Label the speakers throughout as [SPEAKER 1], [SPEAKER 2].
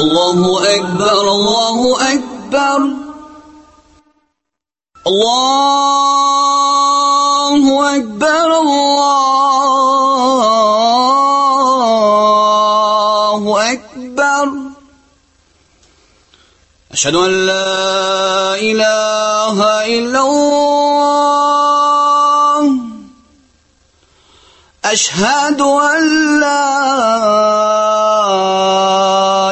[SPEAKER 1] Allahu Ekber, Allahu Ekber. Allahu Ekber, Allahu Ekber. Eşhedü en la ilahe illallah. Eşhedü en la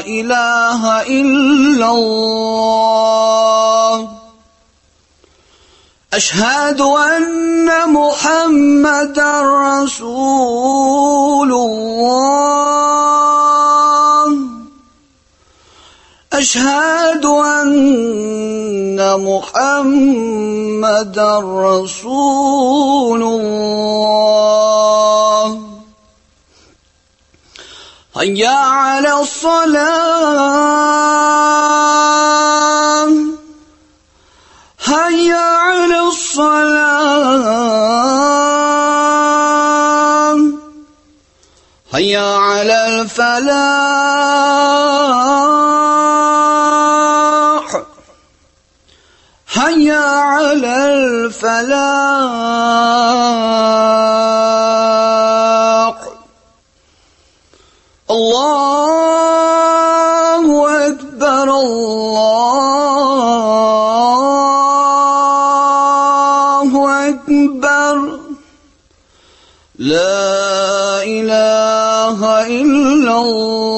[SPEAKER 1] ilahe illallah. Eşhedü enne Muhammeden Resulullah. Eşhedü enne Muhammeden Resulullah. Hayya alas-salah. Hayya alas-salah. Hayya alal-falah. Hayya alal-falah. Allahu Ekber, Allahu Ekber. La ilahe illallah.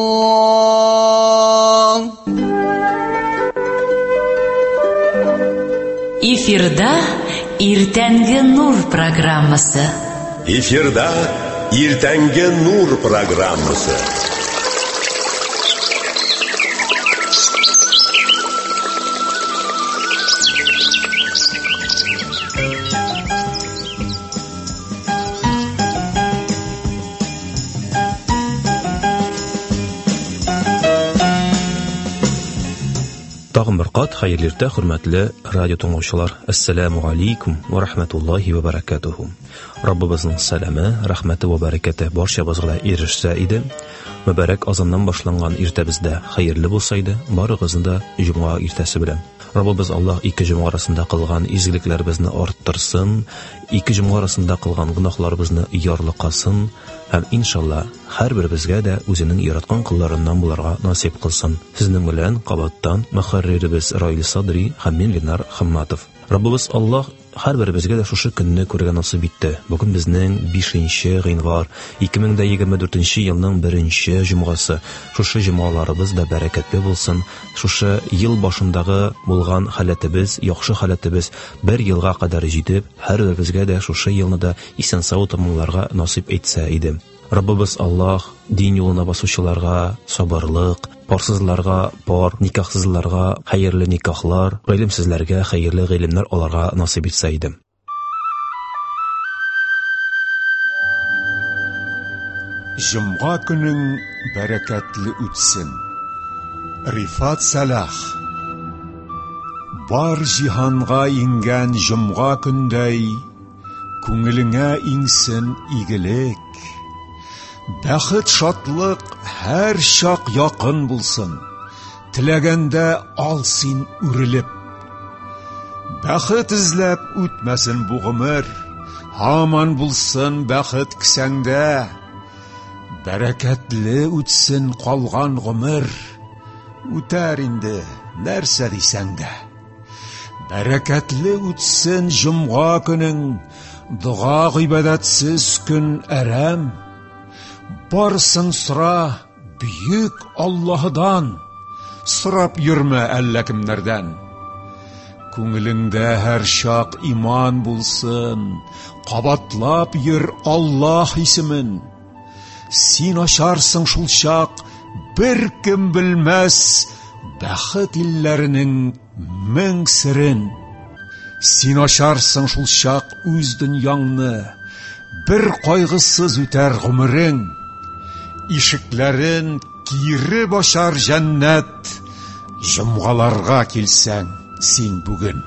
[SPEAKER 2] Эфирда Иртәнге Нур программасы.
[SPEAKER 3] Эфирда Иртәнге Нур программасы.
[SPEAKER 4] Тагын бер кат хәерле иртә, хөрмәтле радио тыңлаучылар. Ассаламу алейкум ва рахматуллахи ва баракатуху. Раббыбызның сәламе, рәхмәте ва бәрәкәте барчабызга да ирешсә иде. Мөбарәк азаннан башланган иртәбездә хәерле булса иде, барыгызны да җомга иртәсе белән. Раббыбыз Аллаһ ике җомга арасында кылган изгелекләребезне арттырсын, ике җомга арасында кылган гөнаһларыбызны ярлыкасын һәм иншалла һәрберебезгә дә үзенең яраткан колларыннан булырга насыйп кылсын. Сезнең белән кабаттан мөхәрриребез Раил Садри һәм мин Ленар Хамматов. Раббыбыз Аллаһ һәрберебезгә дә шушы көнне күрергә насыйп итте. Бүген безнең 5 гыйнвар 2024 елның 1 җомгасы. Шушы җомгаларыбыз да бәрәкәтле булсын. Шушы ел башындагы булган халәтебез, яхшы халәтебез бер елга кадәр җитеп, һәрберебезгә дә шушы елны да исән-сау тәмамларга насыйп итсә иде. Раббыбыз Аллаһ дин юлына басучыларга сабырлык, парсызларга пар, никахсызларга хәерле никахлар, гыйлемсезләргә хәерле гыйлемнәр аларга насыйп итсә иде.
[SPEAKER 5] Җомга көнең бәрәкәтле үтсен. Рифат Сәлах. Бар җиһанга иңгән җомга көндәй, күңелеңә иңсен игелек. Бәхет, шатлык һәр чак якын булсын. Теләгәндә ал син үрелеп. Бәхет эзләп үтмәсен бу гомер, һаман булсын бәхет кесәңдә. Бәрәкәтле үтсен калган гомер, үтәр инде нәрсә дисәң дә. Бәрәкәтле үтсен җомга көнең, дога гыйбадәтсез көн әрәм. Барысын сора бөек Аллаһыдан, сорап йөрмә әллә кемнәрдән. Күңелеңдә һәр чак иман булсын, кабатлап йөр Аллаһ исемен. Син ачарсың шул чак, бер кем белмәс бәхет илләренең мең серен. Син ачарсың шул чак үз дөньяңны, бер кайгысыз үтәр гомерең. Ишекләрен кире башар җәннәт, җомгаларга килсәң син бүген.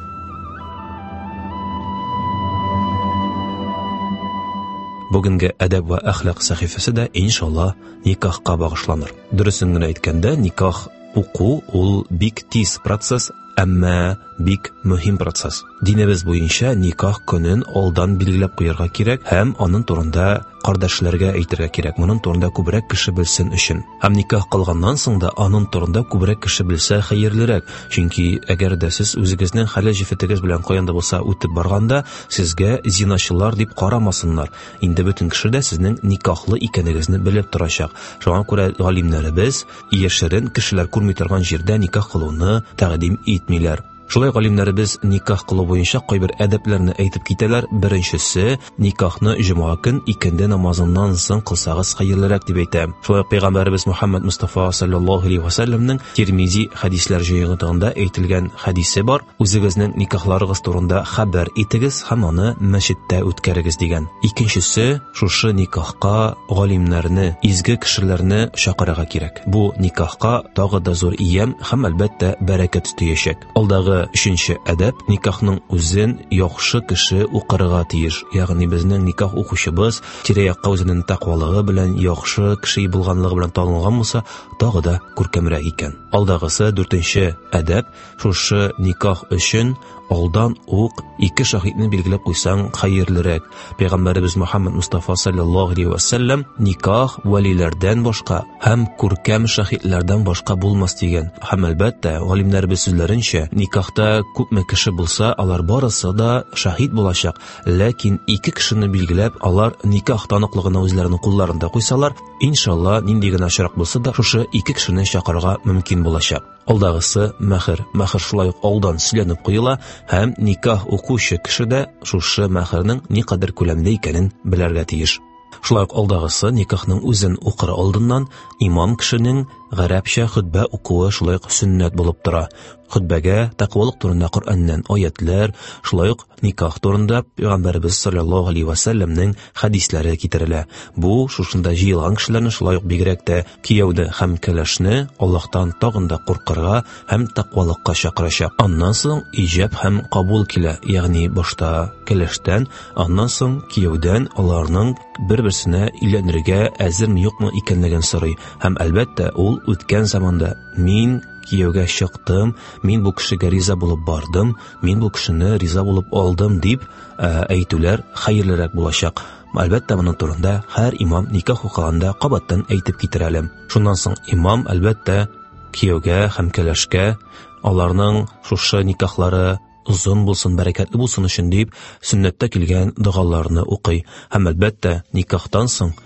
[SPEAKER 4] Бүгенге әдәп вә әхлак сәхифәсе дә иншалла никахка багышланыр. Дөресен генә әйткәндә, никах уку ул бик тиз процесс, әмма бик мөһим процесс. Динебез буенча никах көнен алдан билгеләп куярга кирәк һәм аның турында кардәшләргә әйтергә кирәк. Моның турында күбрәк кеше белсен өчен. Һәм никах кылганнан соң да аның турында күбрәк кеше белсә хәерлерәк. Чөнки әгәр дә сез үзегезнең хәләл җефетегез белән каян да булса үтеп барганда, сезгә зиначылар дип карамасыннар. Инде бөтен кеше дә сезнең никахлы икәнегезне белеп торачак. Шуңа күрә галимнәребез яшерен кешеләр күрми торган җирдә никах кылуны тәкъдим итмиләр. Шулай галимнәребез никах кылу буенча кайбер әдәпләрне әйтеп китәләр. Беренчесе, никахны җомга көн икенде намазыннан соң кылсагыз хәерлерәк дип әйтә. Шулай ук пәйгамбәребез Мухаммад Мустафа саллаллаһу алейһи ва сәлләмнең Тирмизи хәдисләр җыентыгында әйтелгән хәдисе бар. Үзегезнең никахларыгыз турында хәбәр итегез һәм аны мәчеттә үткәрегез дигән. Икенчесе, шушы никахка галимнәрне, изге кешеләрне чакырырга кирәк. Бу никахка тагы да зур ямь һәм, әлбәттә, бәрәкәт өстәячәк. Алдагы өченче әдәп, никахның үзен яхшы кеше укырга тиеш. Ягъни безнең никах укучыбыз тирә-якка үзенең тәкъвалыгы белән, яхшы кеше булганлыгы белән танылган булса, тагы да күркәмрәк икән. Алдагысы дүртенче әдәп, шушы никах өчен алдан ук ике шаһитне билгеләп куйсаң хәерлерәк. Пәйгамбәребез Мухаммад Мустафа саллаллаһу алейһи ва сәлләм никах вәлиләрдән башка һәм күркәм шаһитләрдән башка булмас дигән. Һәм әлбәттә, галимнәребез сүзләренчә, никахта күпме кеше булса, алар барысы да шаһит булачак. Ләкин ике кешене билгеләп, алар никах таныклыгына үзләренең кулларында куйсалар, иншалла, нинди генә очрак булса да, шушы ике кешене чакырырга мөмкин булачак. Алдагысы мәһер. Мәһер шулай ук алдан сөйләнеп куела һәм никах укучы кеше дә шушы мәһернең никадәр күләмдә икәнен белергә тиеш. Шулай ук алдагысы никахның үзен укыр алдыннан имам кешенең гарәпчә хөтбә укуы шулай ук сөннәт булып тора. Хөтбәгә тәкъвалык турында Коръәннән аятлар, шулай ук никах турында Пәйгамбәребез саллаллаһу алейһи ва сәлләмнең хәдисләре китерелә. Бу шушында җыелган кешеләрне шулай ук бигрәк тә кияүне һәм кәләшне Аллаһтан тагын да куркырга һәм тәкъвалыкка чакырачак. Аннан соң иҗаб һәм кабул килә, ягъни башта кәләштән, аннан соң кияүдән аларның бер-берсенә өйләнергә әзерме юкмы икәнлеген сорый. Һәм әлбәттә, ул үткән заманда мин кияүгә чыктым, мин бу кешегә риза булып бардым, мин бу кешене риза булып алдым дип әйтүләр хәерлерәк булачак. Әлбәттә, моның турында һәр имам никах укыганда кабаттан әйтеп китер әле. Шуннан соң имам, әлбәттә, кияүгә һәм кәләшкә аларның шушы никахлары озын булсын, бәрәкәтле булсын өчен дип сөннәттә килгән догаларны укый. Һәм әлбәттә, никахтан соң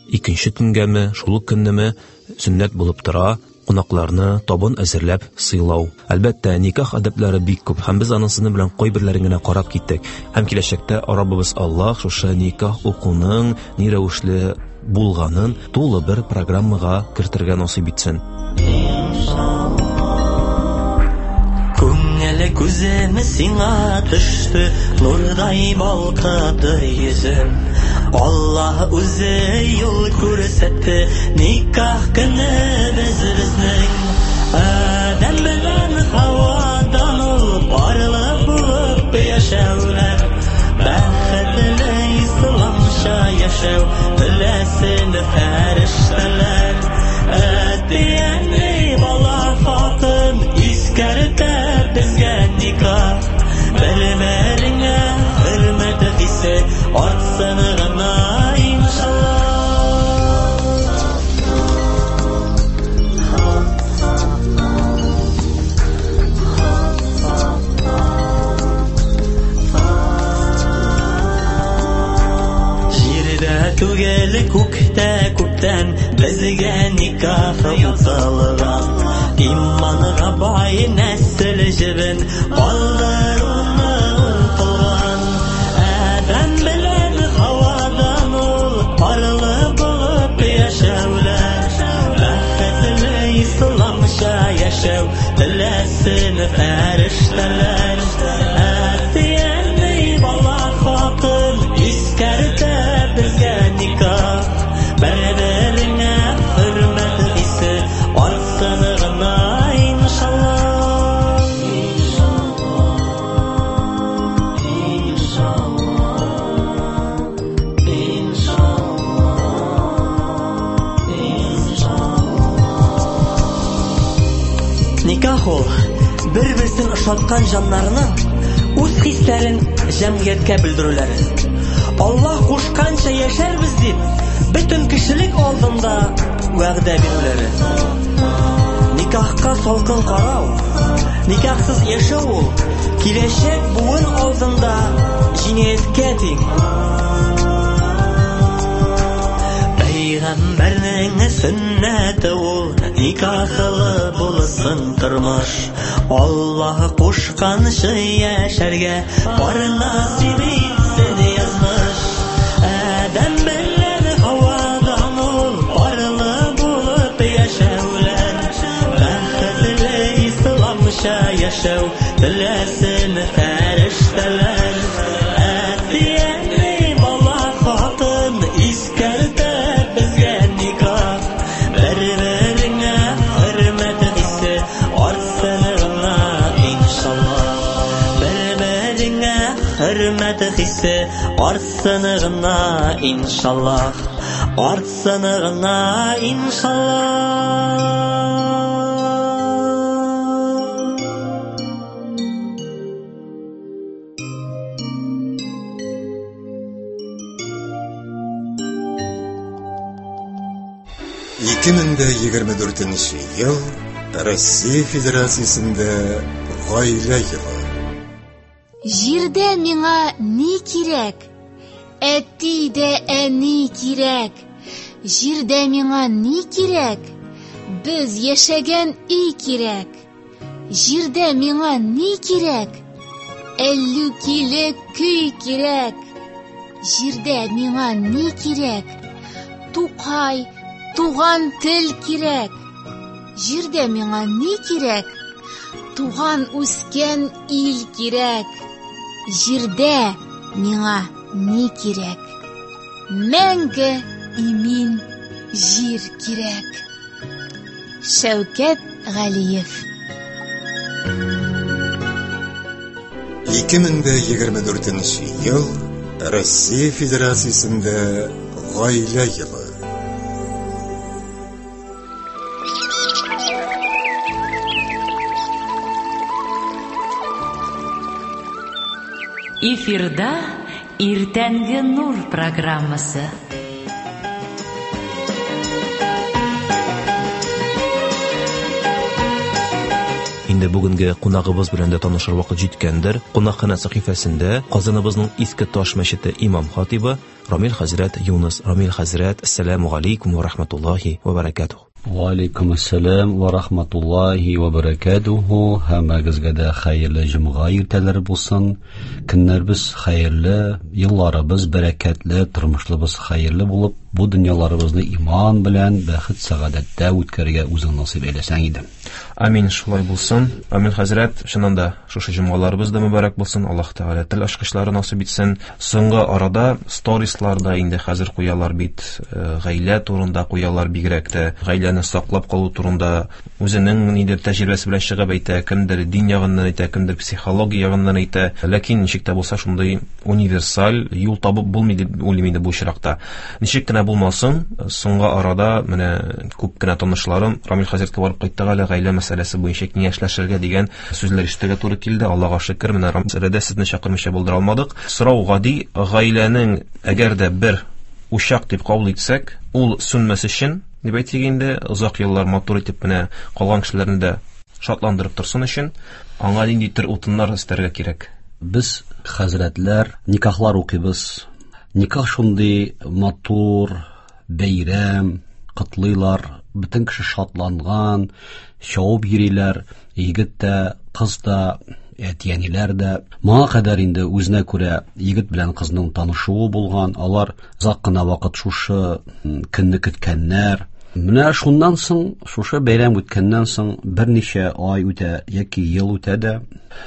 [SPEAKER 4] икенче төнгәме, шул ук көннеме сөннәт булып тора кунакларны табын әзерләп сыйлау. Әлбәттә, никах әдәпләре бик күп һәм без аның сезнең белән кайберләрен генә карап киттек. Һәм киләчәктә Раббыбыз Аллаһ шушы никах укуның ни рәвешле булганын тулы бер программага кертергә насыйп итсен.
[SPEAKER 6] Күңел күзем сиңа төште, нурдай балкыды йөзем. Аллаһ үзе юл күрсәтте, никах көнебез безнең. Адәм белән Хавадан ул парлы булып яшәүләр. Бәхетле исламча яшәү теләсен фәрештәләр. Әти-әни, бала, хатын искәртә безгә никах. Бер-береңә хөрмәт хисе артсын гына иншалла. Җирдә түгел, күктә күптән безгә никах укылган. Иманга бай нәсел җебен калдыруны онытылган. Адәм белән Хавадан ул парлы булып яшәүләр. Бәхетле исламча яшәү теләсен фәрештәләр. Әти-әни, бала, хатын искәртә безгә никах. Бер-береңә хөрмәт хисе артсын гына иншалла. Никах ул бер-берсен ошаткан җаннарның үз хисләрен җәмгыятькә белдерүләре. Аллаһ кушканча яшәрбез дип, бөтен кешелек алдында вәгъдә бирүләре. Никахка салкын карау, никахсыз яшәү ул киләчәк буын алдында җинаятькә тиң. Пәйгамбәрнең сөннәте ул никахлы булсын тормыш. Аллаһ кушканча яшәргә бар насыйп итсен язмыш. Адәм белән Һавадан ул парлы булып яшәүләр. Бәхетле исламча яшәү теләсен фәрештәләр. Әти-әни, бала, хатын искәртә безгә никах. Бер-береңә хөрмәт хисе артсын гына иншаллах. Бер-береңә хөрмәт хисе артсын гына иншаллах. Артсын гына иншаллах.
[SPEAKER 3] 2024 ел Россия Федерациясендә гаилә елы.
[SPEAKER 7] Җирдә миңа ни кирәк? Әти дә әни кирәк. Җирдә миңа ни кирәк? Без яшәгән өй кирәк. Җирдә миңа ни кирәк? Әллүкиле көй кирәк. Җирдә миңа ни кирәк? Тукай, туган тел кирәк. Җирдә миңа ни кирәк? Туган үскән ил кирәк. Җирдә миңа ни кирәк? Мәңге имин җир кирәк. Шәүкәт Галиев.
[SPEAKER 3] 2024 ел Россия Федерациясендә гаилә елы.
[SPEAKER 2] Эфирда Иртәнге нур программасы.
[SPEAKER 4] Инде бүгенге кунагыбыз белән дә танышыр вакыт җиткәндер. Кунакханә сәхифәсендә Казаныбызның Иске Таш мәчете имам хатибы Рамил хәзрәт Юныс. Рамил хәзрәт, ассаламу алейкум ва рахматуллахи ва баракатух.
[SPEAKER 8] Ва алейкум ассалам ва рахматуллахи ва баракатуху. Һәммәгезгә дә хәерле җомга иртәләре булсын. Көннәребез хәерле, елларыбыз бәрәкәтле, тормышлыбыз хәерле булып, бу дөньяларыбызны иман белән бәхет сәгадәттә үткәрергә үзең насыйп әйләсәң иде.
[SPEAKER 4] Амин, шулай булсын. Амин хәзрәт, чыннан да шушы җомгаларыбыз да мөбарәк булсын. Аллаһ Тәгалә тел ачкычлары насыйп итсен. Соңгы арада сторисларда инде хәзер куялар бит, гаилә турында куялар, бигрәк тә гаиләне саклап калу турында үзенең нидер тәҗрибәсе белән чыгып әйтә, кемдер дин ягыннан әйтә, кемдер психология ягыннан әйтә. Ләкин ничек тә булса шундый универсаль юл табып булмый дип уйлыйм инде бу очракта. Ничек кенә булмасын, соңгы арада менә күп кенә танышларым Рамил хәзрәткә барып кайттык әле, гаилә мәсьәләсе буенча киңәшләшергә дигән сүзләр ишетергә туры килде. Аллаһка шөкер, менә мәсьәләдә сезне чакырмыйча булдыра алмадык. Сорау гади, гаиләнең әгәр дә бер учак дип кабул итсәк, ул сүнмәс өчен, дип әйтик инде, озак еллар матур итеп менә калган кешеләрне дә шатландырып торсын өчен, аңа нинди төр утыннар өстәргә кирәк?
[SPEAKER 8] Без хәзрәтләр никахлар укыйбыз. Никах шундый матур бәйрәм, котлыйлар, бөтен кеше шатланган, чабып йөриләр, егет тә, кыз да, әти-әниләр дә. Моңа кадәр инде үзенә күрә егет белән кызның танышуы булган, алар озак кына вакыт шушы көнне көткәннәр. Менә шуннан соң, шушы бәйрәм үткәннән соң берничә ай үтә яки ел үтә дә,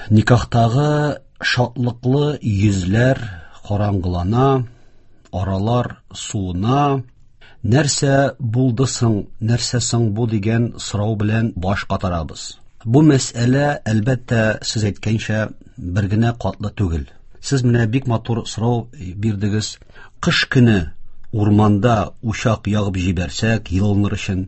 [SPEAKER 8] никахтагы шатлыклы йөзләр караңгылана, аралар суына. Нәрсә булды соң, нәрсә соң бу дигән сорау белән баш катарабыз. Бу мәсьәлә, әлбәттә, сез әйткәнчә, бер генә катлы түгел. Сез менә бик матур сорау бирдегез. Кыш көне урманда учак ягып җибәрсәк, йылыныр өчен,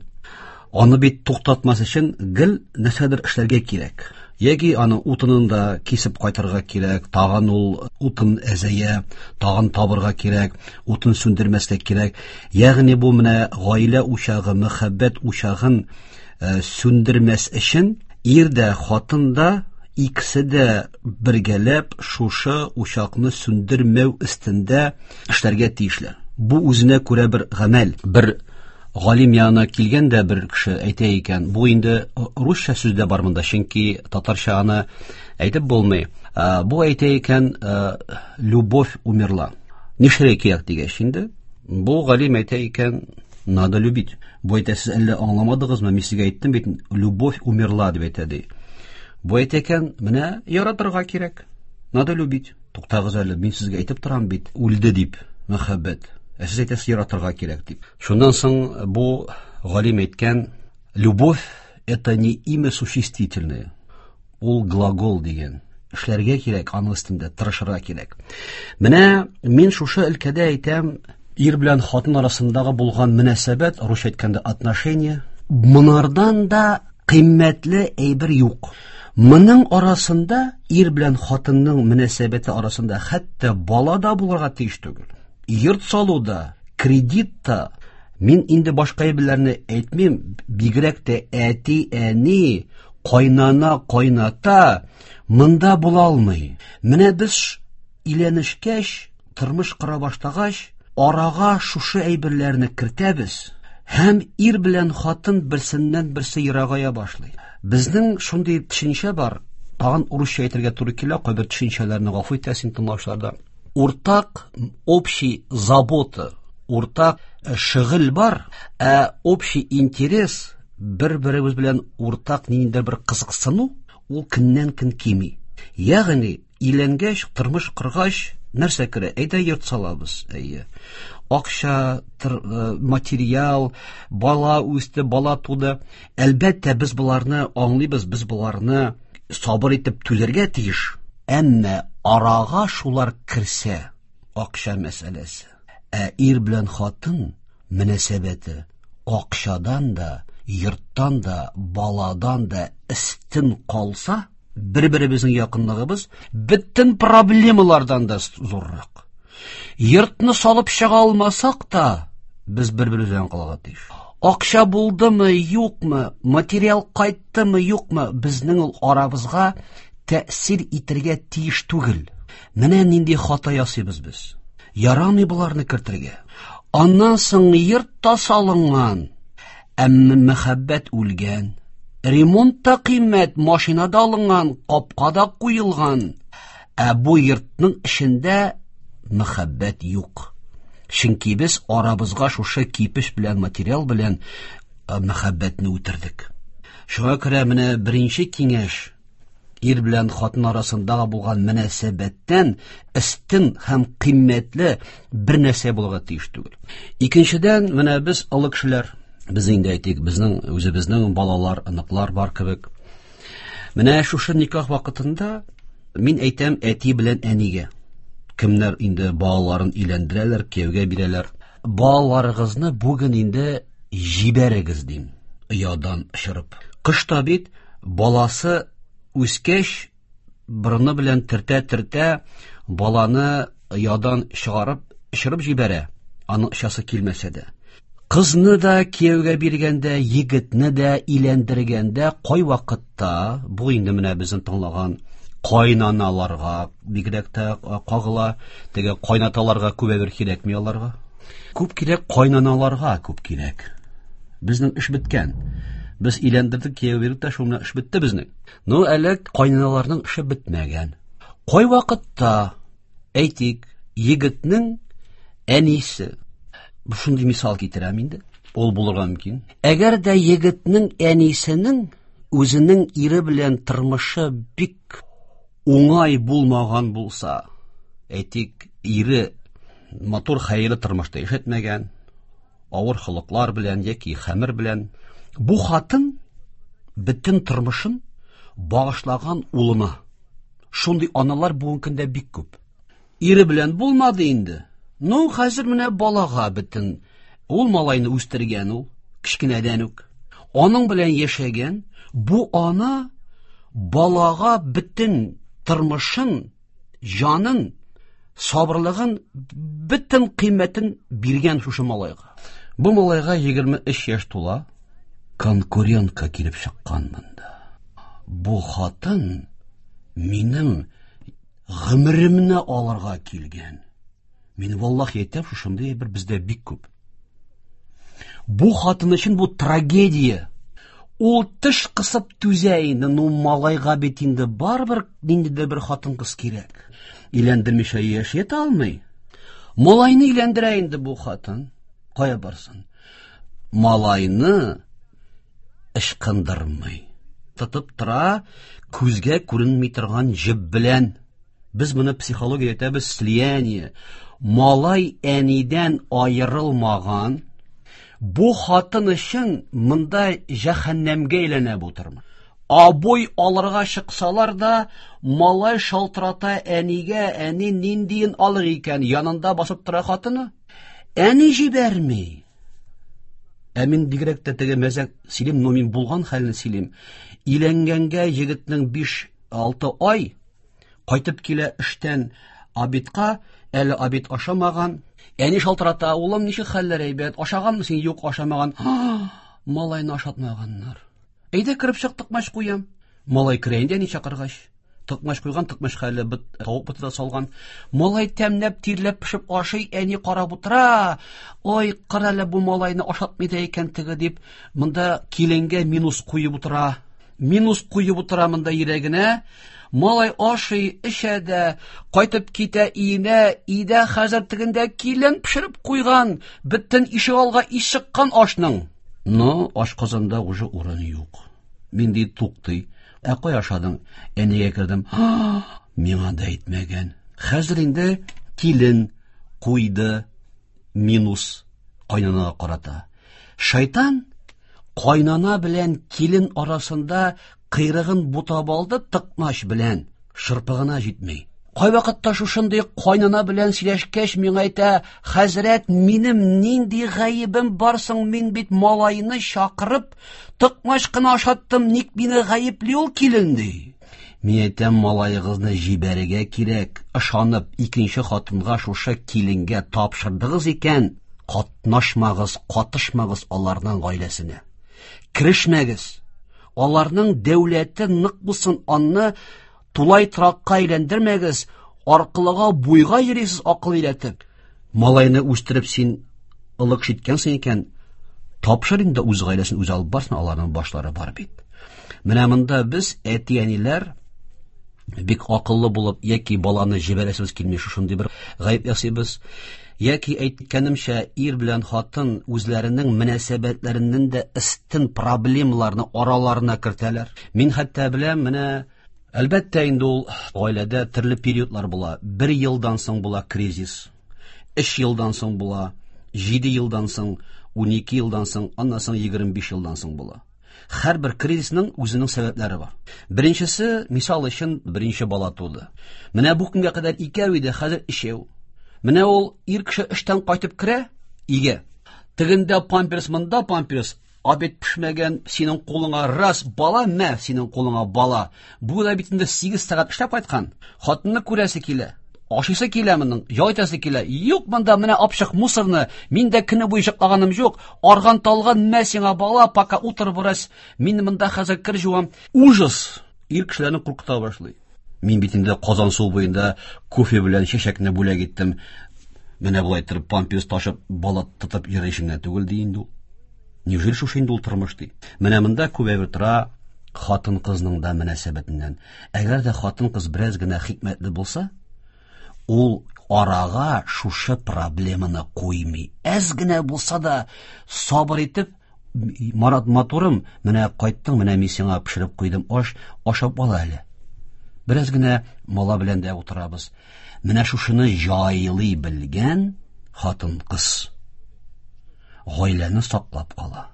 [SPEAKER 8] Аны бит туктатмас өчен гел нәрсәдер эшләргә кирәк. Яки аны утынын да кисеп кайтырга кирәк, тагын ул утын әзәя, тагын табырга кирәк, утын сүндермәскә кирәк. Ягъни бу менә гаилә учагы, мәхәббәт учагын сүндермәс өчен ир дә, хатын да икесе дә бергәләп шушы учакны сүндермәү өстендә эшләргә тиешләр. Бу үзенә күрә бер гамәл. Бер галим янына килгән дә бер кеше әйтә икән, бу инде русча сүз дә бар монда, чөнки татарча аны әйтеп булмый. Бу әйтә икән, любовь умерла. Нишләргә кирәк дигәч инде, бу галим әйтә икән, надо любить. Бу әйтә, сез әллә аңламадыгызмы, мин сезгә әйттем бит, любовь умерла дип әйтә ди. Бу әйтә икән, менә яратырга кирәк, надо любить. Туктагыз әле, мин сезгә әйтеп торам бит, үлде дип, мәхәббәт. Ә сез әйтәсез, яратырга кирәк дип. Шуннан соң бу галим әйткән, любовь это не имя существительное, ул глагол дигән. Эшләргә кирәк, аның өстендә тырышырга кирәк. Менә мин шушы өлкәдә әйтәм, ир белән хатын арасындагы булган мөнәсәбәт, русча әйткәндә отношения, монардан да кыйммәтле әйбер юк. Моның арасында ир белән хатынның мөнәсәбәте арасында хәтта бала да булырга тиеш түгел. Йорт салу да, кредит та, мин инде башка әйберләрне әйтмим, бигрәк тә әти, әни, кайнана, кайната монда була алмый. Менә без өйләнешкәч, тормыш кора башлагач, арага шушы әйберләрне кертәбез һәм ир белән хатын берсеннән берсе ерагая башлый. Безнең шундый төшенчә бар, тагын урысча әйтергә туры килә, кайбер төшенчәләрне гафу итәсең тыңлаучыларда. Уртак общий забота, уртак шөгыль бар, ә общий интерес, бер-беребез белән уртак ниндидер бер кызыксыну, ул көннән-көн кими. Ягъни өйләнгәч, тормыш коргач, нәрсә керә? Әйдә йорт салабыз, әйе. Акча, материал, бала үсте, бала туды. Әлбәттә, без боларны аңлыйбыз, без боларны сабыр итеп түзәргә тиеш. Әмма арага шулар керсә, акча мәсьәләсе. Ә ир белән хатын мөнәсәбәте акчадан да, йорттан да, баладан да өстен калса, бер-беребезнең якынлыгыбыз бөтен проблемалардан да зуррак. Йортны салып чыга алмасак та, без бер-беребез белән калырга тиеш. Акча булдымы, юкмы, материал кайттымы, юкмы, безнең ул арабызга тәэсир итәргә тиеш түгел. Менә нинди хата ясыйбыз без. Ярамый боларны кертергә. Аннан соң йорт та салынган, әмма мәхәббәт үлгән. Ремонт та кыйммәт, машина да алынган, капка да куелган. Ә бу йортның эчендә мәхәббәт юк. Чөнки без арабызга шушы кипеш белән, материал белән мәхәббәтне үтердек. Шуңа күрә менә беренче киңәш, ир белән хатын арасындагы булган мөнәсәбәттән өстен һәм кыйммәтле бер нәрсә булырга тиеш түгел. Икенчедән, менә без олы кешеләр, без инде әйтик, безнең үзебезнең балалар, оныклар бар кебек. Менә шушы никах вакытында мин әйтәм әти белән әнигә, кемнәр инде балаларын өйләндерәләр, кияүгә бирәләр, балаларыгызны бүген инде җибәрегез дим, оядан очырып. Кышта бит баласы үскәч, борыны белән тертә-тертә баланы оядан чыгарып, очырып җибәрә, аның очасы килмәсә дә. Кызны да кияүгә биргәндә, егетне дә өйләндергәндә, кайвакытта, бу инде менә безнең тыңлаган кайнаналарга бигрәк тә кагыла, теге кайнаталарга күп әйбер кирәкми аларга. Күп кирәк кайнаналарга, күп кирәк. Безнең эш беткән. Без өйләндердек, кияү бирдек тә, шул менә эш бетте безнең. Ну, әле кайнаналарның эше бетмәгән. Кайвакытта, әйтик, егетнең әнисе, шундый мисал китерәм инде, ул булырга мөмкин. Әгәр дә егетнең әнисенең үзенең ире белән тормышы бик уңай булмаган булса, әйтик, ире матур хәерле тормышта яшәтмәгән, авыр холыклар белән яки хәмер белән, бу хатын бөтен тормышын багышлаган улына. Шундый аналар бүгенге көндә бик күп. Ире белән булмады инде. Ну, хәзер менә балага бөтен. Ул малайны үстергән ул, кечкенәдән үк. Аның белән яшәгән, бу ана балага бөтен тормышын, җанын, сабырлыгын, бөтен кыйммәтен биргән шушы малайга. Бу малайга 23 яшь тула, конкурентка килеп чыккан монда. Бу хатын минем гомеремне алырга килгән. Мин валлахи әйтәм, шушындый бер бездә бик күп. Бу хатын өчен бу трагедия. Ул теш кысып түзә инде, ну малайга бит инде барыбер ниндидер бер хатын-кыз кирәк. Өйләндермичә яши алмый. Малайны өйләндерә инде бу хатын. Кая барсын? Малайны ычкындырмый. Тотып тора, күзгә күренми торган җеп белән. Без моны психология әйтәбез слияние. Малай әнидән аерылмаган. Бу хатын өчен монда җәһәннәмгә әйләнә бу тормыш. Абой алырга чыксалар да, малай шалтырата әнигә, әни ниндиен алыр икән, янында басып тора хатыны. Әни җибәрми. Ә мин бигрәк тә теге мәзәк сөйлим, но мин булган хәлне сөйлим. Өйләнгәнгә егетнең 5-6 ай кайтып килә эштән обедка, әле обед ашамаган. Әни шалтырата, улым, ничек хәлләр әйбәт, ашаганмы син? Юк, ашамаган. Малайны ашатмаганнар. Әйдә кереп чык, токмач куям. Малай керә инде әни чакыргач. Токмач куйган, токмачка әле бит, тавык боты да салган. Малай тәмләп, тирләп пешеп ашый, әни карап утыра. Ой, кара әле бу малайны ашатмый да икән теге дип, монда киленгә минус куеп утыра. Минус куеп утыра монда йөрәгенә. Малай ашый, эчә дә, кайтып китә өенә, өйдә хәзер тегендә килен пешереп куйган, бөтен ишегалга ис чыккан ашның. Но ашказанда уже урын юк. Мин ди туктый. Ә кая ашадың? Әнигә кердем. Миңа да әйтмәгән. Хәзер инде килен куйды минус кайнанага карата. Шайтан кайнана белән килен арасында кыйрыгын бутап алды тыкмач белән. Шырпы гына җитми. Кайвакытта шушындый кайнана белән сөйләшкәч, миңа әйтә, хәзрәт, минем нинди гаебем бар соң, мин бит малайны чакырып, тыкмач кына ашаттым, ник мине гаепли ул килен, ди. Мин әйтәм, малаегызны җибәрергә кирәк, ышанып, икенче хатынга шушы киленгә тапшырдыгыз икән, катнашмагыз, катышмагыз аларның гаиләсенә. Керешмәгез. Аларның дәүләте нык булсын, анны тулай торакка әйләндермәгез, аркылыга буйга йөрисез акыл өйрәтеп. Малайны үстереп син ылык җиткәнсең икән, тапшыр инде үз гаиләсен үзе алып барсын, аларның башлары бар бит. Менә монда без әти-әниләр бик акыллы булып яки баланы җибәрәсебез килми, шушындый бер гаеп ясыйбыз, яки әйткәнемчә, ир белән хатын үзләренең мөнәсәбәтләреннән дә өстен проблемаларны араларына кертәләр. Мин хәтта беләм, менә әлбәттә инде ул гаиләдә төрле периодлар була. 1 елдан соң була кризис, 3 елдан соң була, 7 елдан соң, 12 елдан соң, аннан соң 25 елдан соң була. Һәрбер кризисның үзенең сәбәпләре бар. Беренчесе, мисал өчен, беренче бала туды. Менә бу көнгә кадәр икәү иде, хәзер өчәү. Менә ул ир кеше эштән кайтып керә, өйгә. Тегендә памперс, монда памперс, обед пешмәгән, синең кулыңа раз бала, мә, синең кулыңа бала. Бу да бит инде 8 сәгать эшләп кайткан. Хатынны күрәсе килә. Ашыйсы килә моның, ял итәсе килә. Юк монда менә апчык мусорны, мин дә көне буе йоклаганым юк. Арган талган, мә сиңа бала, пока утыр бераз. Мин монда хәзер кер жуам. Ужас! Ир кешеләрне куркыта башлый. Мин бит инде Казан су буенда кофе белән чәчәкне бүләк иттем. Менә болай торып памперс ташып, бала тотып йөрер ишеңнән түгел ди инде ул. Неужели шушы инде ул тормыш ди? Менә монда күп әйбер тора хатын-кызның да мөнәсәбәтеннән. Әгәр дә хатын-кыз бераз генә хикмәтле булса, ул арага шушы проблеманы куймый. Әз генә булса да сабыр итеп, Марат матурым, менә кайттың, менә мин сиңа пешереп куйдым аш, ашап ал әле. Бераз генә мала белән дә утырабыз. Менә шушыны җайлый белгән хатын-кыз гаиләне саклап кала.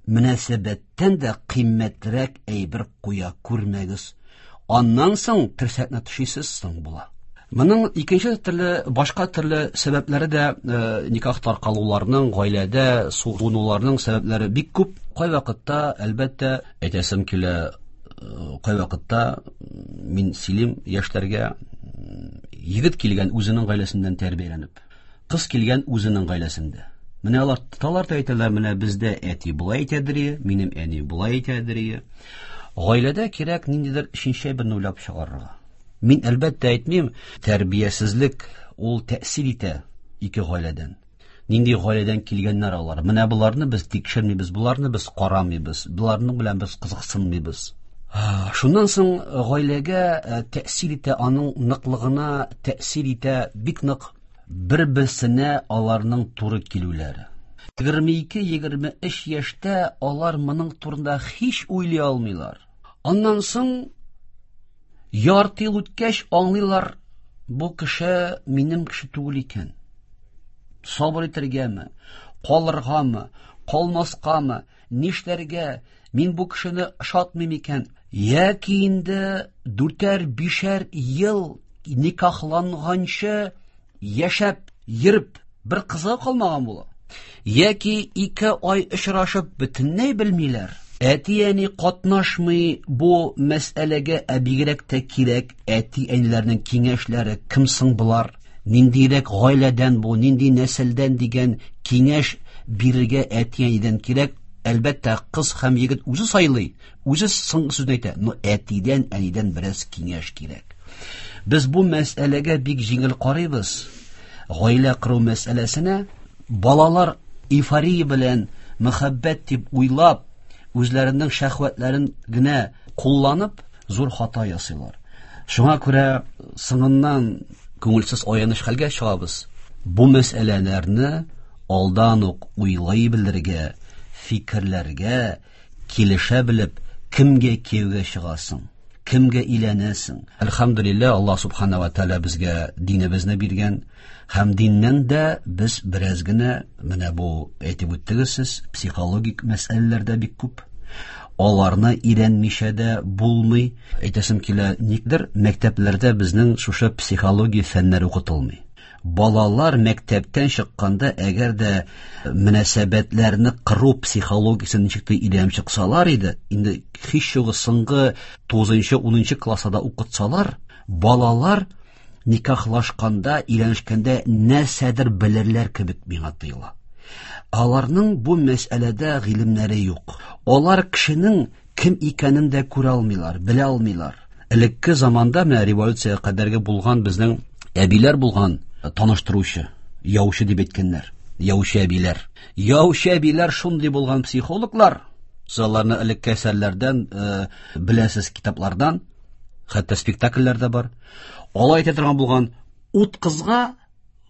[SPEAKER 8] Мөнәсәбәттән дә кыйммәтрәк әйбер куя күрмәгез. Аннан соң терсәкне төшисез соң була. Моның икенче төрле, башка төрле сәбәпләре дә никах таркалуларның, гаиләдә суынуларның сәбәпләре бик күп. Кайвакытта, әлбәттә, әйтәсем килә, кайвакытта мин сөйлим яшьләргә, егет килгән үзенең гаиләсеннән тәрбияләнеп, кыз килгән үзенең гаиләсендә. Менә алар тоталар да әйтәләр, менә бездә әти болай әйтәдер, минем әни болай әйтәдер. Гаиләдә кирәк ниндидер өченче берне уйлап чыгарырга. Мин әлбәттә әйтмим, тәрбиясезлек ул тәэсир итә ике гаиләдән. Нинди гаиләдән килгәннәр алар? Менә боларны без тикшермибез, боларны без карамыйбыз, боларның белән без кызыксынмыйбыз. Шуннан соң гаиләгә тәэсир итә, аның ныклыгына тәэсир итә бик нык бер-берсенә аларның туры килүләре. 22-23 яшьтә алар моның турында һич уйлый алмыйлар. Аннан соң ярты ел үткәч аңлыйлар, бу кеше минем кеше түгел икән. Сабыр итәргәме, калыргамы, калмаскамы, нишләргә, мин бу кешене ошатмыйм икән. Яки инде 4-5 ел никахланганчы яшәп, йөреп, бер кызга калмаган була. Яки 2 ай очрашып бөтенләй белмиләр. Әти-әни катнашмый бу мәсьәләгә, ә бигрәк тә кирәк әти-әниләрнең киңәшләре, кем соң болар, ниндирәк гаиләдән бу, нинди нәселдән дигән киңәш бирергә әти-әнидән кирәк. Әлбәттә, кыз һәм егет үзе сайлый, үзе соңгы сүзне әйтә, но әтидән, әнидән бераз киңәш кирәк. Без бу мәсьәләгә бик җиңел карыйбыз. Гаилә кору мәсьәләсенә балалар эйфория белән мәхәббәт дип уйлап, үзләренең шәһвәтләрен генә кулланып, зур хата ясыйлар. Шуңа күрә соңыннан күңелсез аяныч хәлгә чыгабыз. Бу мәсьәләләрне алдан ук уйлай белергә, фикерләргә, килешә белеп, кемгә кияүгә чыгасың, кемгә өйләнәсең. Әлхәмдүлилләһ, Аллаһ субхана ва тааля безгә динебезне биргән һәм диннән дә без бераз генә, менә бу әйтеп үттегез сез, психологик мәсьәләләр дә бик күп. Аларны өйрәнмичә дә булмый. Әйтәсем килә, никдер мәктәпләрдә безнең шушы психология фәннәре укытылмый. Балалар мәктәптән чыкканда, әгәр дә мөнәсәбәтләрне кыру психологиясен ничек тә өйрәнеп чыксалар иде, инде һич югы соңгы 9-10 класста укытсалар, балалар никахлашканда, өйләнешкәндә нәрсәдер белерләр кебек миңа тоела. Аларның бу мәсьәләдә гыйлемнәре юк. Алар кешенең кем икәнен дә күрә алмыйлар, белә алмыйлар. Элекке заманда, менә революция кадәрге булган безнең әбиләр булган, таныштыручы, яучы дип әйткәннәр. Яучы әбиләр. Яучы әбиләр шундый булган психологлар. Сез аларны элекке әсәрләрдән беләсез, китаплардан, хәтта спектакльләр дә бар. Алай әйтә торган булган, ут кызга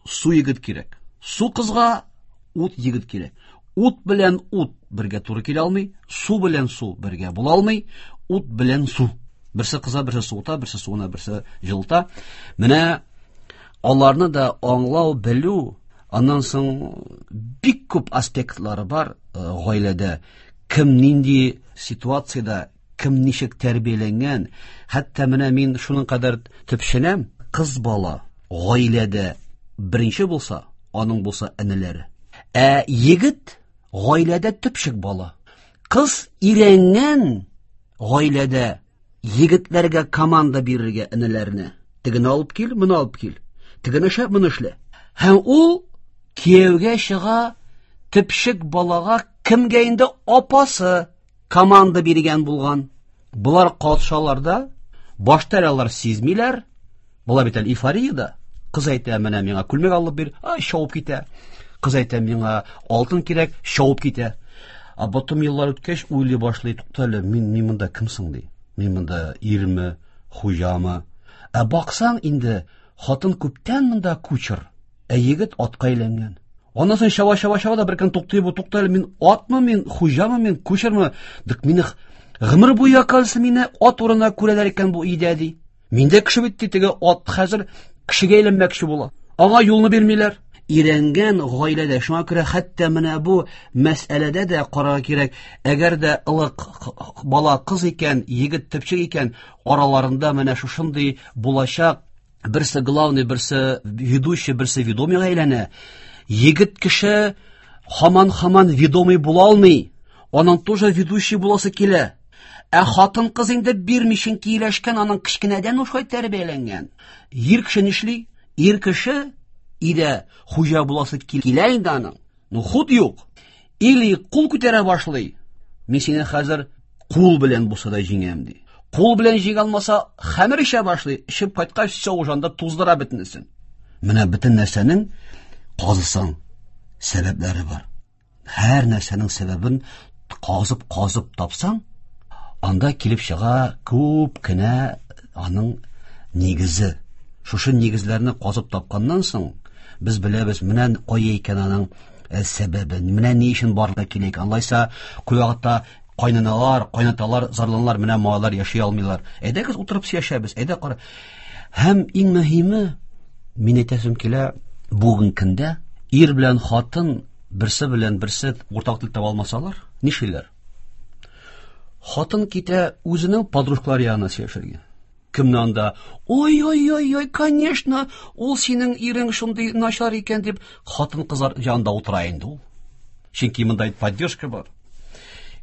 [SPEAKER 8] су егет кирәк. Су кызга ут егет кирәк. Ут белән ут бергә туры килә алмый, су белән су бергә була алмый, ут белән су. Берсе кыза, берсе суыта, берсе суына, берсе җылыта. Менә аларны да аңлау, белү, аннан соң бик күп аспектлары бар гаиләдә. Кем нинди ситуациядә, кем ничек тәрбияләнгән. Хәтта менә мин шуның кадәр төпченәм, кыз бала гаиләдә беренче булса, аның булса энеләре. Ә егет гаиләдә төпчек бала. Кыз өйрәнгән гаиләдә егетләргә команда бирергә энеләренә. Тегене алып кил, моны алып кил. Тегене эшлә, моны эшлә. Һәм ул кияүгә чыга төпчек балага, кемгә инде апасы команда биргән булган. Болар катшаларда башта алар сизмиләр. Була бит әле эйфорияда. Кыз әйтә, менә миңа күлмәк алып бир, ай, шауып китә. Кыз әйтә, миңа алтын кирәк, шауып китә. А потом еллар үткәч уйлый башлый, тукта әле, мин монда кем соң ди? Мин монда ирме, хуҗамы? Ә баксаң инде хатын күптән монда кучер, ә егет атка әйләнгән. Аннан соң чаба-чаба-чаба да бер көн туктый бу, тукта әле, мин атмы, мин хуҗамы, мин кучермы? Дык мине гомер буе, оказывается, мине ат урынына күрәләр икән бу өйдә ди. Мин дә кеше бит ди, теге ат хәзер кешегә әйләнмәкче була. Аңа юлны бирмиләр. Өйрәнгән гаиләдә, шуңа күрә хәтта менә бу мәсьәләдә дә карарга кирәк. Әгәр дә ылык бала кыз икән, егет төпчек икән, араларында менә шушындый булачак Берсе главный, берсе ведущий, берсе ведомыйга әйләнә. Егет кеше һаман-һаман ведомый була алмый. Аның тоже ведущий буласы килә. Ә хатын-кыз инде бирми, чөнки ияләшкән, аның кечкенәдән шулай тәрбияләнгән. Ир кеше нишли? Ир кеше өйдә хуҗа буласы килә инде аның. Ну, хут юк. Или кул күтәрә башлый. Мин сине хәзер кул белән булса да җиңәм, ди. Кул белән җиңә алмаса, хәмер эчә башлый. Эчеп кайткач, все, уже анда туздыра бөтенесен. Менә бөтен нәрсәнең казысаң сәбәпләре бар. Һәр нәрсәнең сәбәбен казып-казып тапсаң, анда килеп чыга күп кенә аның нигезе. Шушы нигезләрне казып тапканнан соң, без беләбез, менә кая икән аның сәбәбе, менә ни өчен барлыкка килә икән. Алайса, күп вакытта кайнаналар, кайнаталар зарланалар, менә малайлар яши алмыйлар. Әйдәгез утырып сөйләшәбез, әйдә кара. Һәм иң мөһиме, мин әйтәсем килә, бүген көндә ир белән хатын берсе белән берсе уртак тел таба алмасалар, нишлиләр? Хатын китә үзенең подружкалары янына сөйләшергә. Кемне анда? Ой-ой-ой-ой, конечно, ул синең ирең шундый начар икән дип, хатын кызлар янында утыра инде ул. Чөнки монда поддержка бар.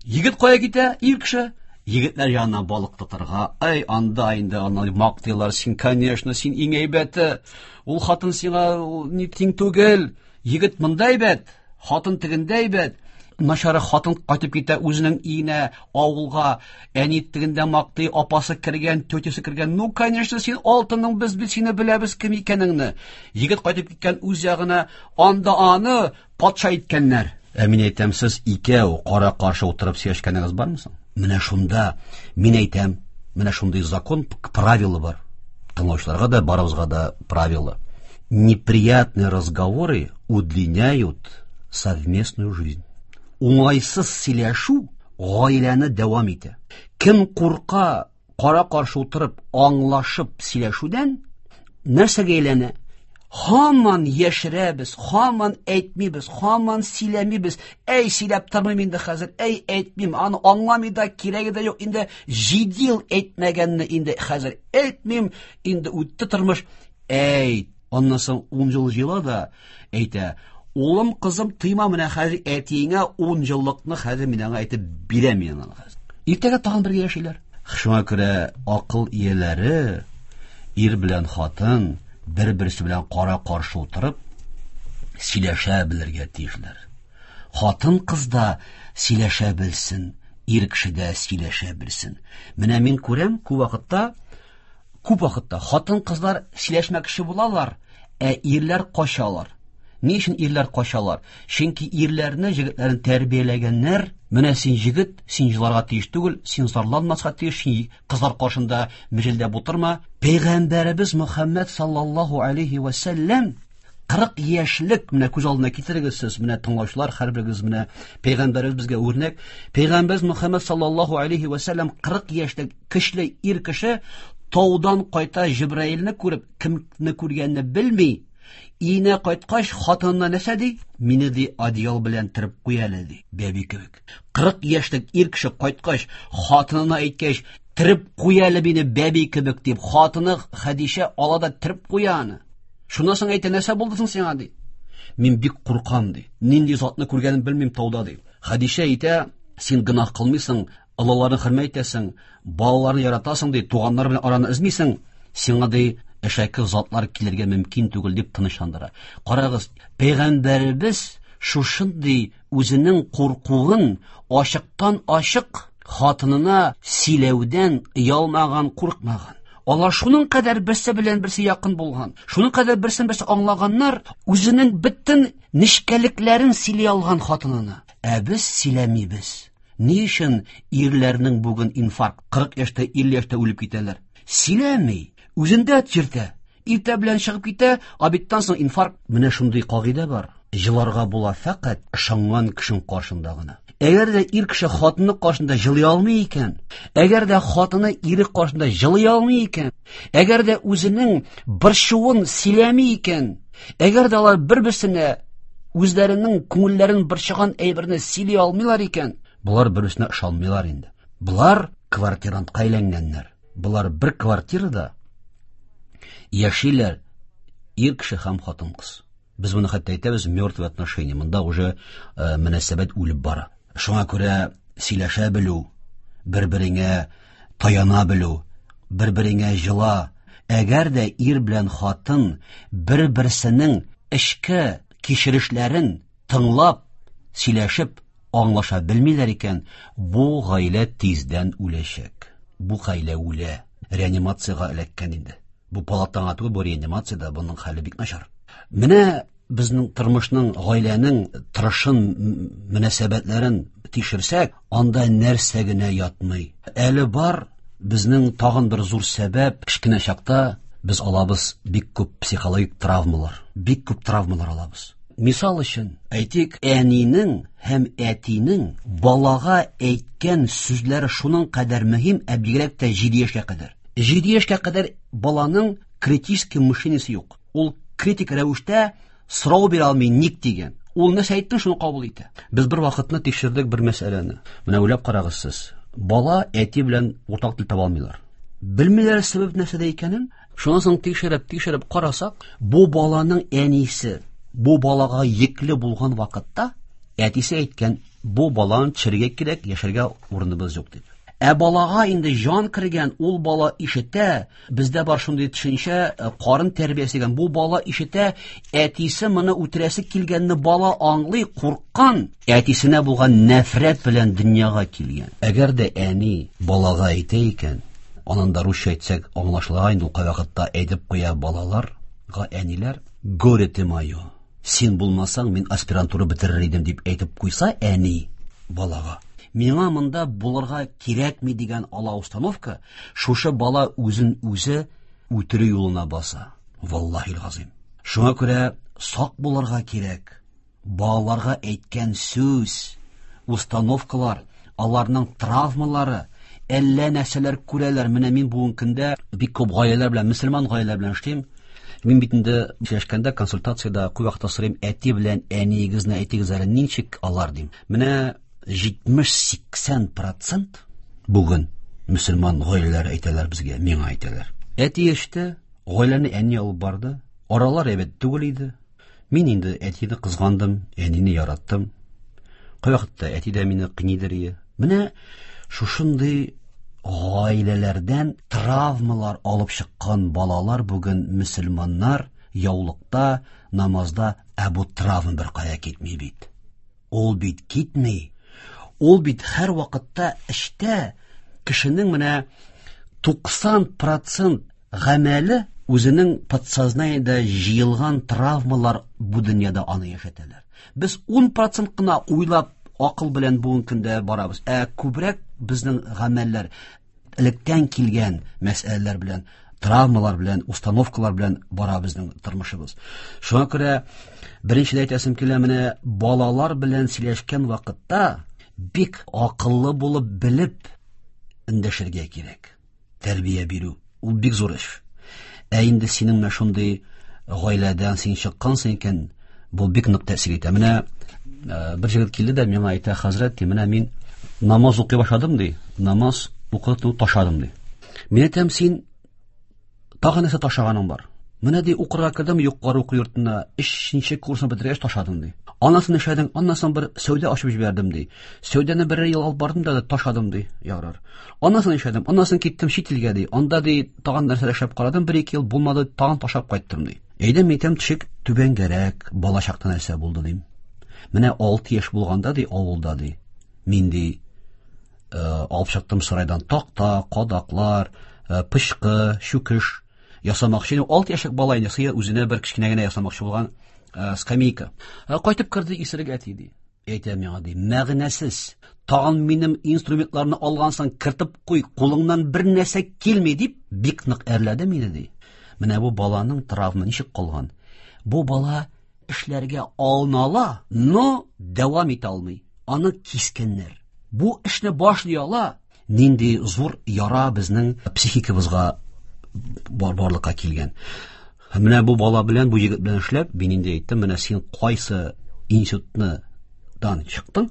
[SPEAKER 8] Егет кая китә? Ир кеше. Егетләр янына балык тотарга. Ай, анда инде аны мактыйлар. Син, конечно, син иң әйбәте. Ул хатын сиңа ни тиң түгел. Егет монда әйбәт, хатын тегендә әйбәт. Начары хатын кайтып китә үзенең өенә, авылга. Әни тегендә мактый, апасы кергән, тетясы кергән. Ну, конечно, син алтының, без бит сине беләбез кем икәнеңне. Егет кайтып киткән үз ягына, анда аны патша иткәннәр. Ә мин әйтәм, сез икәү кара-каршы утырып сөйләшкәнегез бармы соң? Менә шунда мин әйтәм, менә шундый закон, правила бар. Тыңлаучыларга да, барыбызга да правила. Неприятные разговоры удлиняют совместную жизнь. Уңайсыз сөйләшү гаиләне дәвам итә. Кем курка кара-каршы утырып, аңлашып сөйләшүдән, нәрсәгә әйләнә? Һаман яшерәбез, һаман әйтмибез, һаман сөйләмибез. Әй, сөйләп тормыйм инде хәзер, әй, әйтмим, аны аңламый да, кирәге дә юк. Инде 7 ел әйтмәгәнне инде хәзер әйтмим, инде үтте тормыш. Әйт. Аннан соң 10 ел җыела да әйтә: "Улым, кызым, тыйма менә хәзер әтиеңә 10 еллыкны хәзер мин аңа әйтеп бирәм мин аны хәзер." Иртәгә тагын бергә яшиләр. Шуңа күрә акыл ияләре ир белән хатын бер-берсе белән кара-каршы утырып сөйләшә белергә тиешләр. Хатын кыз да сөйләшә белсен, ир кеше дә сөйләшә белсен. Менә мин күрәм, күп вакытта Күп вакытта хатын-кызлар сөйләшмәкче булалар, ә ирләр качалар. Ни өчен ирләр качалар? Чөнки ирләрне, җегетләрне тәрбияләгәннәр, менә син җегет, син җыларга тиеш түгел, син зарланмаска тиеш, син кызлар каршында мөҗелдәп утырма. Пәйгамбәребез Мөхәммәд саллаллаһу алейхи ва сәлләм 40 яшьлек, менә күз алдына китерегез сез, менә тыңлаучылар, һәрберегез менә пәйгамбәребез безгә үрнәк. Пәйгамбәребез Мөхәммәд саллаллаһу алейхи ва сәлләм 40 яшьлек көчле ир кеше таудан кайта Җибраилне күреп, кемне күргәнне белми. Өенә кайткач, хатынына нәрсә ди? Мине ди одеял белән төреп куй әле ди, бәби кебек. 40 яшьлек ир кеше кайткач, хатынына әйткәч, төреп куй әле мине бәби кебек дип, хатыны Хәдичә ала да төреп куя аны. Шуннан соң әйтә, нәрсә булды соң сиңа ди? Мин бик куркам ди. Нинди затны күргәнен белмим тауда ди. Хәдичә әйтә, син гөнаһ кылмыйсың, олыларны хөрмәт итәсең, балаларны яратасың ди, туганнар белән араны өзмисең, сиңа ди әшәке затлар килергә мөмкин түгел дип тынычландыра. Карагыз, пәйгамбәребез шушындый үзенең куркуын ачыктан ачык хатынына сөйләүдән оялмаган, куркмаган. Алар шуның кадәр берсе белән берсе якын булган, шуның кадәр берсен берсе аңлаганнар, үзенең бөтен нечкәлекләрен сөйли алган хатынына. Ә без сөйләмибез. Ни өчен ирләрнең бүген инфаркт, 40 яшьтә, 50 яшьтә үлеп китәләр? Сөйләми, үзендә чиртә. Иртә белән чыгып китә, обедтан соң инфаркт. Менә шундый кагыйдә бар. Җыларга була фәкать ышанган кешенең каршында гына. Әгәр дә ир кеше хатыны каршында җылый алмый икән, әгәр дә хатыны ире каршында җылый алмый икән, әгәр дә үзенең борчуын сөйләми икән, әгәр дә алар бер-берсенә үзләренең күңелләрен борчыган әйберне сөйли алмыйлар икән, болар бер-берсенә ышанмыйлар инде. Болар квартирантка әйләнгәннәр. Болар бер квартирада. Яшиләр ир кеше һәм хатын-кыз. Без моны хәтта әйтәбез мертвые отношения. Монда уже мөнәсәбәт үлеп бара. Шуңа күрә сөйләшә белү, бер-береңә таяна белү, бер-береңә җыла. Әгәр дә ир белән хатын бер-берсенең эчке кичерешләрен тыңлап, сөйләшеп, аңлаша белмиләр икән, бу гаилә тиздән үләчәк. Бу гаилә үлә. Реанимациягә эләккән инде. Бу палатаңа түгел, бу реанимациядә буның хәле бик начар. Менә безнең тормышның, гаиләнең торышын, мөнәсәбәтләрен тикшерсәк, анда нәрсә генә ятмый. Әле бар безнең тагын бер зур сәбәп, кечкенә чакта без алабыз бик күп психологик травмалар. Бик күп травмалар алабыз. Мисал өчен, әйтик, әнинең һәм әтинең балага әйткән сүзләре шуның кадәр мөһим, ә бигрәк тә 7 яшькә кадәр. 7 яшькә кадәр баланың критический мышлениесе юк. Ул критик рәвештә сорау бирә алмый, ник дигән. Ул нәрсә әйтте, шуны кабул итә. Без бер вакытны тикшердек бер мәсьәләне. Менә уйлап карагыз сез. Бала әти белән уртак тел таба алмыйлар. Белмиләр сәбәп нәрсәдә икәнен. Шуннан соң тикшереп карасак, бу баланың әнисе бу балага йөкле булган вакытта әтисе әйткән, бу баланы төшерергә кирәк, яшәргә урыныбыз юк дип. Ә балага инде җан кергән, ул бала ишетә, бездә бар шундый төшенчә, карын тәрбиясе дигән, бу бала ишетә, әтисе моны үтерәсе килгәнне бала аңлый, курккан, әтисенә булган нәфрәт белән дөньяга килгән. Әгәр дә әни балага әйтә икән, анан да русча әйтсәк аңлашыла инде, ул кайвакытта әйтеп куя балаларга әниләр, горе ты мое, син булмасаң, мин аспирантура бетерер идем дип әйтеп куйса әни балага, миңа монда булырга кирәкми дигән ала установка, шушы бала үзен үзе үтерү юлына баса. Валлаһил газим. Шуңа күрә сак булырга кирәк. Балаларга әйткән сүз, установкалар, аларның травмалары, әллә нәрсәләр күрәләр. Менә мин бүгенге көндә бик күп гаиләләр белән, мөселман гаиләләр белән эшлим. Мин бит инде сөйләшкәндә консультациядә күп вакытта сорыйм, әти белән әниегезне әйтегез әле, ничек алар дим. Менә 70-80% бүген мөселман гаиләләре әйтәләр безгә, миңа әйтәләр. Әти эште, гаиләне әни алып барды. Аралар әйбәт түгел иде. Мин инде әтине кызгандым, әнине яраттым. Кайвакытта әти дә мине кыйныйдыр иде. Менә шушындый гаиләләрдән травмалар алып чыккан балалар бүген мөселманнар яулыкта, намазда, ә бу травма бер кая китми бит. Ул бит китми. Ул бит һәр вакытта эчтә кешенең менә 90% гамәле үзенең подсознаниедә җыелган травмалар бу дөньяда аны яшәтәләр. Без 10% кына уйлап акыл белән бүгенге көндә барабыз. Ә күбрәк безнең гамәлләр электән килгән мәсьәләләр белән, травмалар белән, установкалар белән бара безнең тормышыбыз. Шуңа күрә беренчедә әйтәсем килә, менә балалар белән сөйләшкән вакытта бик акыллы булып белеп эндәшергә кирәк. Тәрбия бирү ул бик зур эш. Ә инде синең менә шундый гаиләдән син чыккансың икән, бу бик нык тәэсир итә. Менә бер җегет килде дә миңа әйтә, хәзрәт, ди, менә мин намаз укый башладым, ди, намаз укыту ташладым, ди. Мин әйтәм, син тагы нәрсә ташлаганың бар? Менә ди, укырга кердем югары уку йортына, 3нче курсны бетергәч ташладым, ди. Аннан соң эшләдең, аннан соң бер сәүдә ачып җибәрдем, ди. Сәүдәне бер ел алып бардым да ташладым, ди. Ярар. Аннан соң эшләдем, аннан соң киттем чит илгә, ди. Анда ди тагын нәрсәләр эшләп карадым, 1-2 ел булмады, тагын ташлап кайттым, ди. Әйдә, мин әйтәм, төшик түбәнгәрәк, бала чакта нәрсә булды, дим. Менә 6 яшь булганда, ди, авылда, ди. Мин, ди, алып чыктым сарайдан такта, кадаклар, пычкы, чүкеш ясамакчы. 6 яшьлек бала инде сыер үзенә бер кечкенә генә ясамакчы булган скамейка. Кайтып керде исерек әти, ди. Әйтә миңа, ди, мәгънәсез. Тагын минем инструментларны алгансың, кертеп куй, кулыңнан бер нәрсә килми, дип бик нык әрләде мине, ди. Менә бу баланың травма ничек калган? Бу бала эшләргә алына ала, но дәвам итә алмый. Аны кискәннәр. Бу эшне башлый ала, нинди зур яра безнең психикабызга барлыкка килгән. Менә бу бала белән, бу егет белән эшләп, мин инде әйттем, менә син кайсы институтны дан чыктың,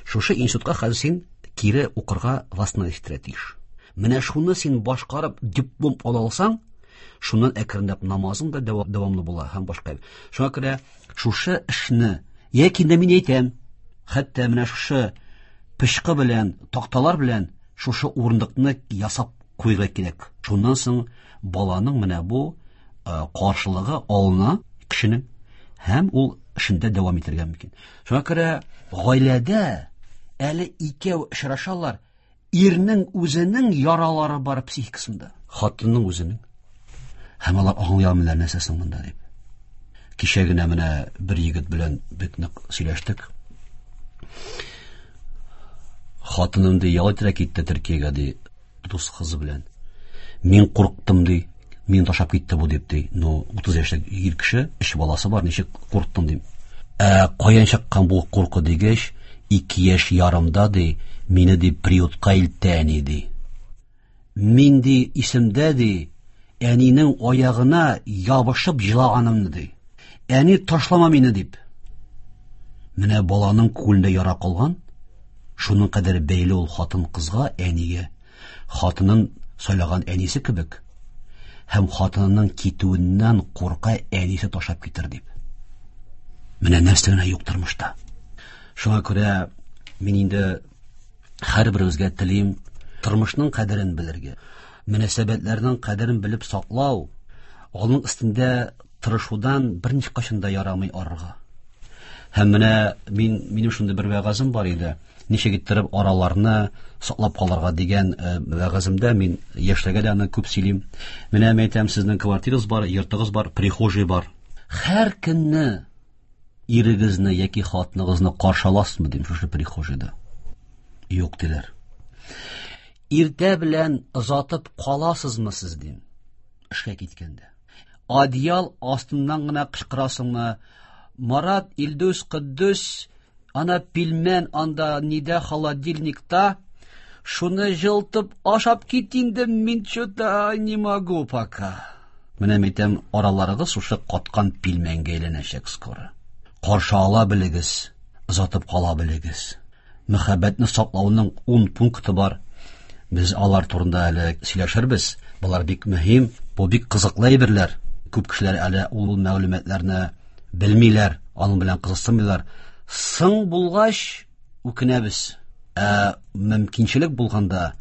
[SPEAKER 8] шушы институтка хәзер син кире укырга восстановить итәргә тиеш. Менә шуны син башкарып диплом ала алсаң, Шуннан әкренләп намазың да дәвамлы була һәм башка. Шуңа күрә шушы эшне яки инде мин әйтәм, хәтта менә шушы пычкы белән, такталар белән шушы урындыкны ясап куярга кирәк. Шуннан соң баланың менә бу каршылыгы алына кешенең һәм ул эшендә дәвам итәргә мөмкин. Шуңа күрә гаиләдә әле икәү очрашалар, ирнең үзенең яралары бар психикасында, хатынның үзенең. Һәм алар аңлый алмыйлар нәрсә соң монда дип. Кичә генә менә бер егет белән бик нык сөйләштек. Хатыным ди, ял итәргә китте Төркиягә ди, дус кызы белән. Мин курктым ди, мин ташлап китте бу дип ди. Ну, 30 яшьлек ир кеше, өч баласы бар, ничек курктың дим. Ә каян чыккан бу курку дигәч, 2 яшь ярымда ди, мине ди приютка илтте әни ди. Мин ди исемдә ди, әнинең аягына ябышып җылаганымны ди. Әни ташлама мине дип. Менә баланың күңелендә яра калган, шуның кадәр бәйле ул хатын кызга, әнигә. Хатынын сайлаган әнисе кебек. Һәм хатынының китүеннән курка әнисе ташлап китер дип. Менә нәрсә генә юк тормышта. Шуңа күрә мин инде һәрберебезгә телим тормышның кадерен белергә, мөнәсәбәтләрнең кадерен белеп саклау, аның өстендә тырышудан берничә кашын да ярамый арырга. Һәм менә минем шундый бер вәгазем бар иде. Ничек иттереп араларны саклап калырга дигән вәгаземдә мин яшьләргә дә аны күп сөйлим. Менә мин әйтәм, сезнең квартирагыз бар, йортыгыз бар, прихожий бар. Һәр көнне ирегезне яки хатыныгызны каршы аласызмы дим шушы прихожийда? Юк диләр. Иртә белән озатып каласызмы сез дим? Эшкә киткәндә. Одеял астыннан гына кычкырасыңмы? Марат, Илдус, Кыддус, ана пилмән анда нидә холодильникта, шуны җылтып ашап кит инде, мин чё-то не могу пока. Менә мин әйтәм, араларыгыз шушы каткан пилмәнгә әйләнәчәк скоро. Каршы ала белегез, озатып кала белегез. Мәхәббәтне саклауның 10 пункты бар. Без алар турында әле сөйләшербез. Болар бик мөһим, бу бик кызыклы әйберләр. Күп кешеләр әле ул мәгълүматларны белмиләр, аның белән кызыксынмыйлар. Соң булгач үкенәбез. Ә мөмкинчелек булганда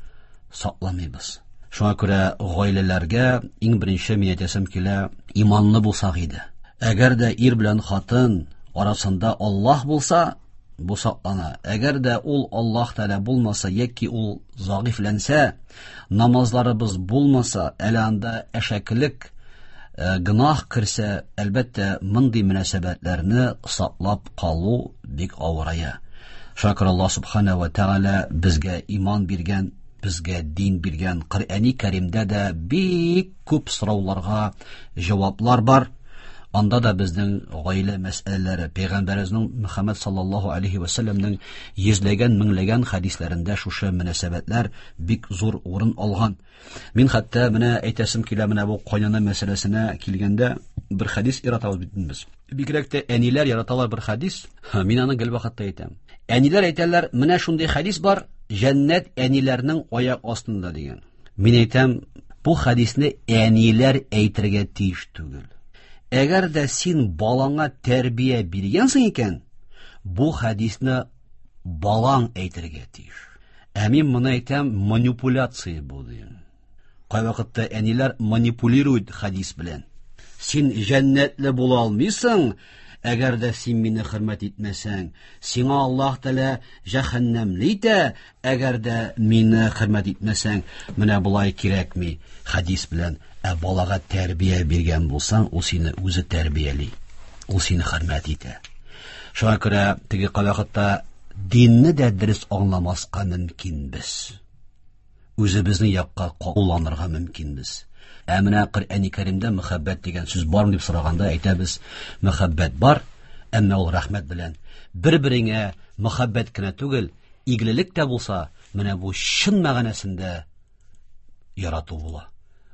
[SPEAKER 8] сакламыйбыз. Шуңа күрә гаиләләргә иң беренче мин әйтәсем килә, иманлы булсак иде. Әгәр дә ир белән хатын арасында Аллаһ булса, бу саклана. Әгәр дә ул Аллаһ Тәгалә булмаса яки ул зәгыйфьләнсә, намазларыбыз булмаса, әле анда әшәкелек, гөнаһ керсә, әлбәттә, мондый мөнәсәбәтләрне саклап калу бик авырая. Шуңа күрә Аллаһ Субхана ва Тәгалә безгә иман биргән, безгә дин биргән. Коръәни Кәримдә дә бик күп сорауларга җаваплар бар. Анда да безнең гаилә мәсьәләләре, Пәйгамбәребезнең Мөхәммәд саллаллаһу алейхи ва сәлләмнең йөзләгән, меңләгән хәдисләрендә шушы мөнәсәбәтләр бик зур урын алган. Мин хәтта менә әйтәсем килә, менә бу кайнана мәсьәләсенә килгәндә бер хәдис яратабыз бит без. Бигрәк тә әниләр яраталар бер хәдис. Мин аны гел вакытта әйтәм. Әниләр әйтәләр, менә шундый хәдис бар, җәннәт әниләрнең аяк астында дигән. Мин әйтәм, бу хәдисне әниләр әйтергә тиеш түгел. Әгәр дә син балаңа тәрбия биргәнсең икән, бу хәдисне балаң әйтергә тиеш. Ә мин моны әйтәм, манипуляция бу дим. Кайвакытта әниләр манипулирует хәдис белән. Син җәннәтле була алмыйсың, әгәр дә син мине хөрмәт итмәсәң. Сиңа Аллаһ Тәгалә җәһәннәмле итә, әгәр дә мине хөрмәт итмәсәң. Менә болай кирәкми хәдис белән. Ә балага тәрбия биргән булсаң, ул сине үзе тәрбияли. Ул сине хөрмәт итә. Шуңа күрә теге кайвакытта динне дә дөрес аңламаска мөмкинбез. Үзебезнең якка кулланырга мөмкинбез. Ә менә Коръәни Кәримдә мөхәббәт дигән сүз бармы дип сораганда әйтәбез, мөхәббәт бар, әмма ул рәхмәт белән. Бер-береңә мөхәббәт кенә түгел, игелек тә булса, менә бу чын мәгънәсендә ярату була.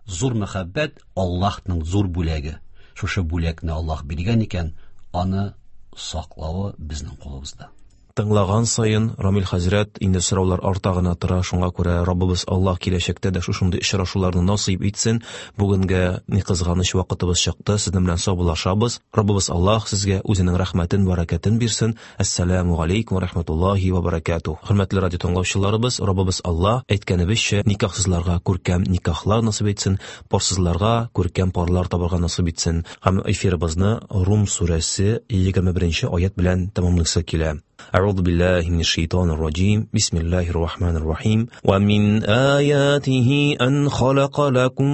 [SPEAKER 8] Зур мөхәббәт Аллаһның зур бүләге. Шушы бүләкне Аллаһ биргән икән, аны саклавы безнең кулыбызда.
[SPEAKER 4] Тыңлаган саен, Рамил хәзрәт, инде сораулар арта гына тора, шуңа күрә Раббыбыз Аллаһ киләчәктә дә шушындый очрашуларны насыйп итсен. Бүгенгә ни кызганыч вакытыбыз чыкты, сезнең белән саубуллашабыз. Раббыбыз Аллаһ сезгә үзенең рәхмәтен, бәрәкәтен бирсен. Әссәламу алейкум ва рахматуллахи ва баракатух. Хөрмәтле радио тыңлаучыларыбыз, Раббыбыз Аллаһ әйткәнебезчә никахсызларга күркәм никахлар насыйп итсен, парсызларга күркәм парлар табарга насыйп итсен. Һәм эфирыбызны Рум сүрәсе 21 аят белән тәмамлыйсы килә. أعوذ بالله من الشيطان الرجيم بسم الله الرحمن الرحيم ومن آياته أن خلق لكم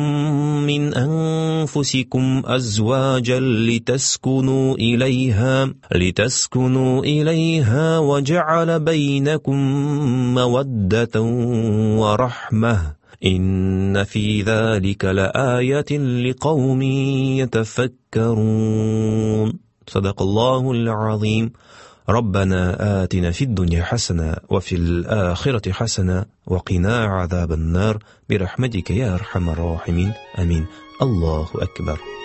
[SPEAKER 4] من أنفسكم أزواجا لتسكنوا إليها لتسكنوا إليها وجعل بينكم مودة ورحمة إن في ذلك لآية لقوم يتفكرون صدق الله العظيم ربنا آتنا في الدنيا حسنة وفي الآخرة حسنة وقنا عذاب النار برحمتك يا أرحم الراحمين آمين الله أكبر.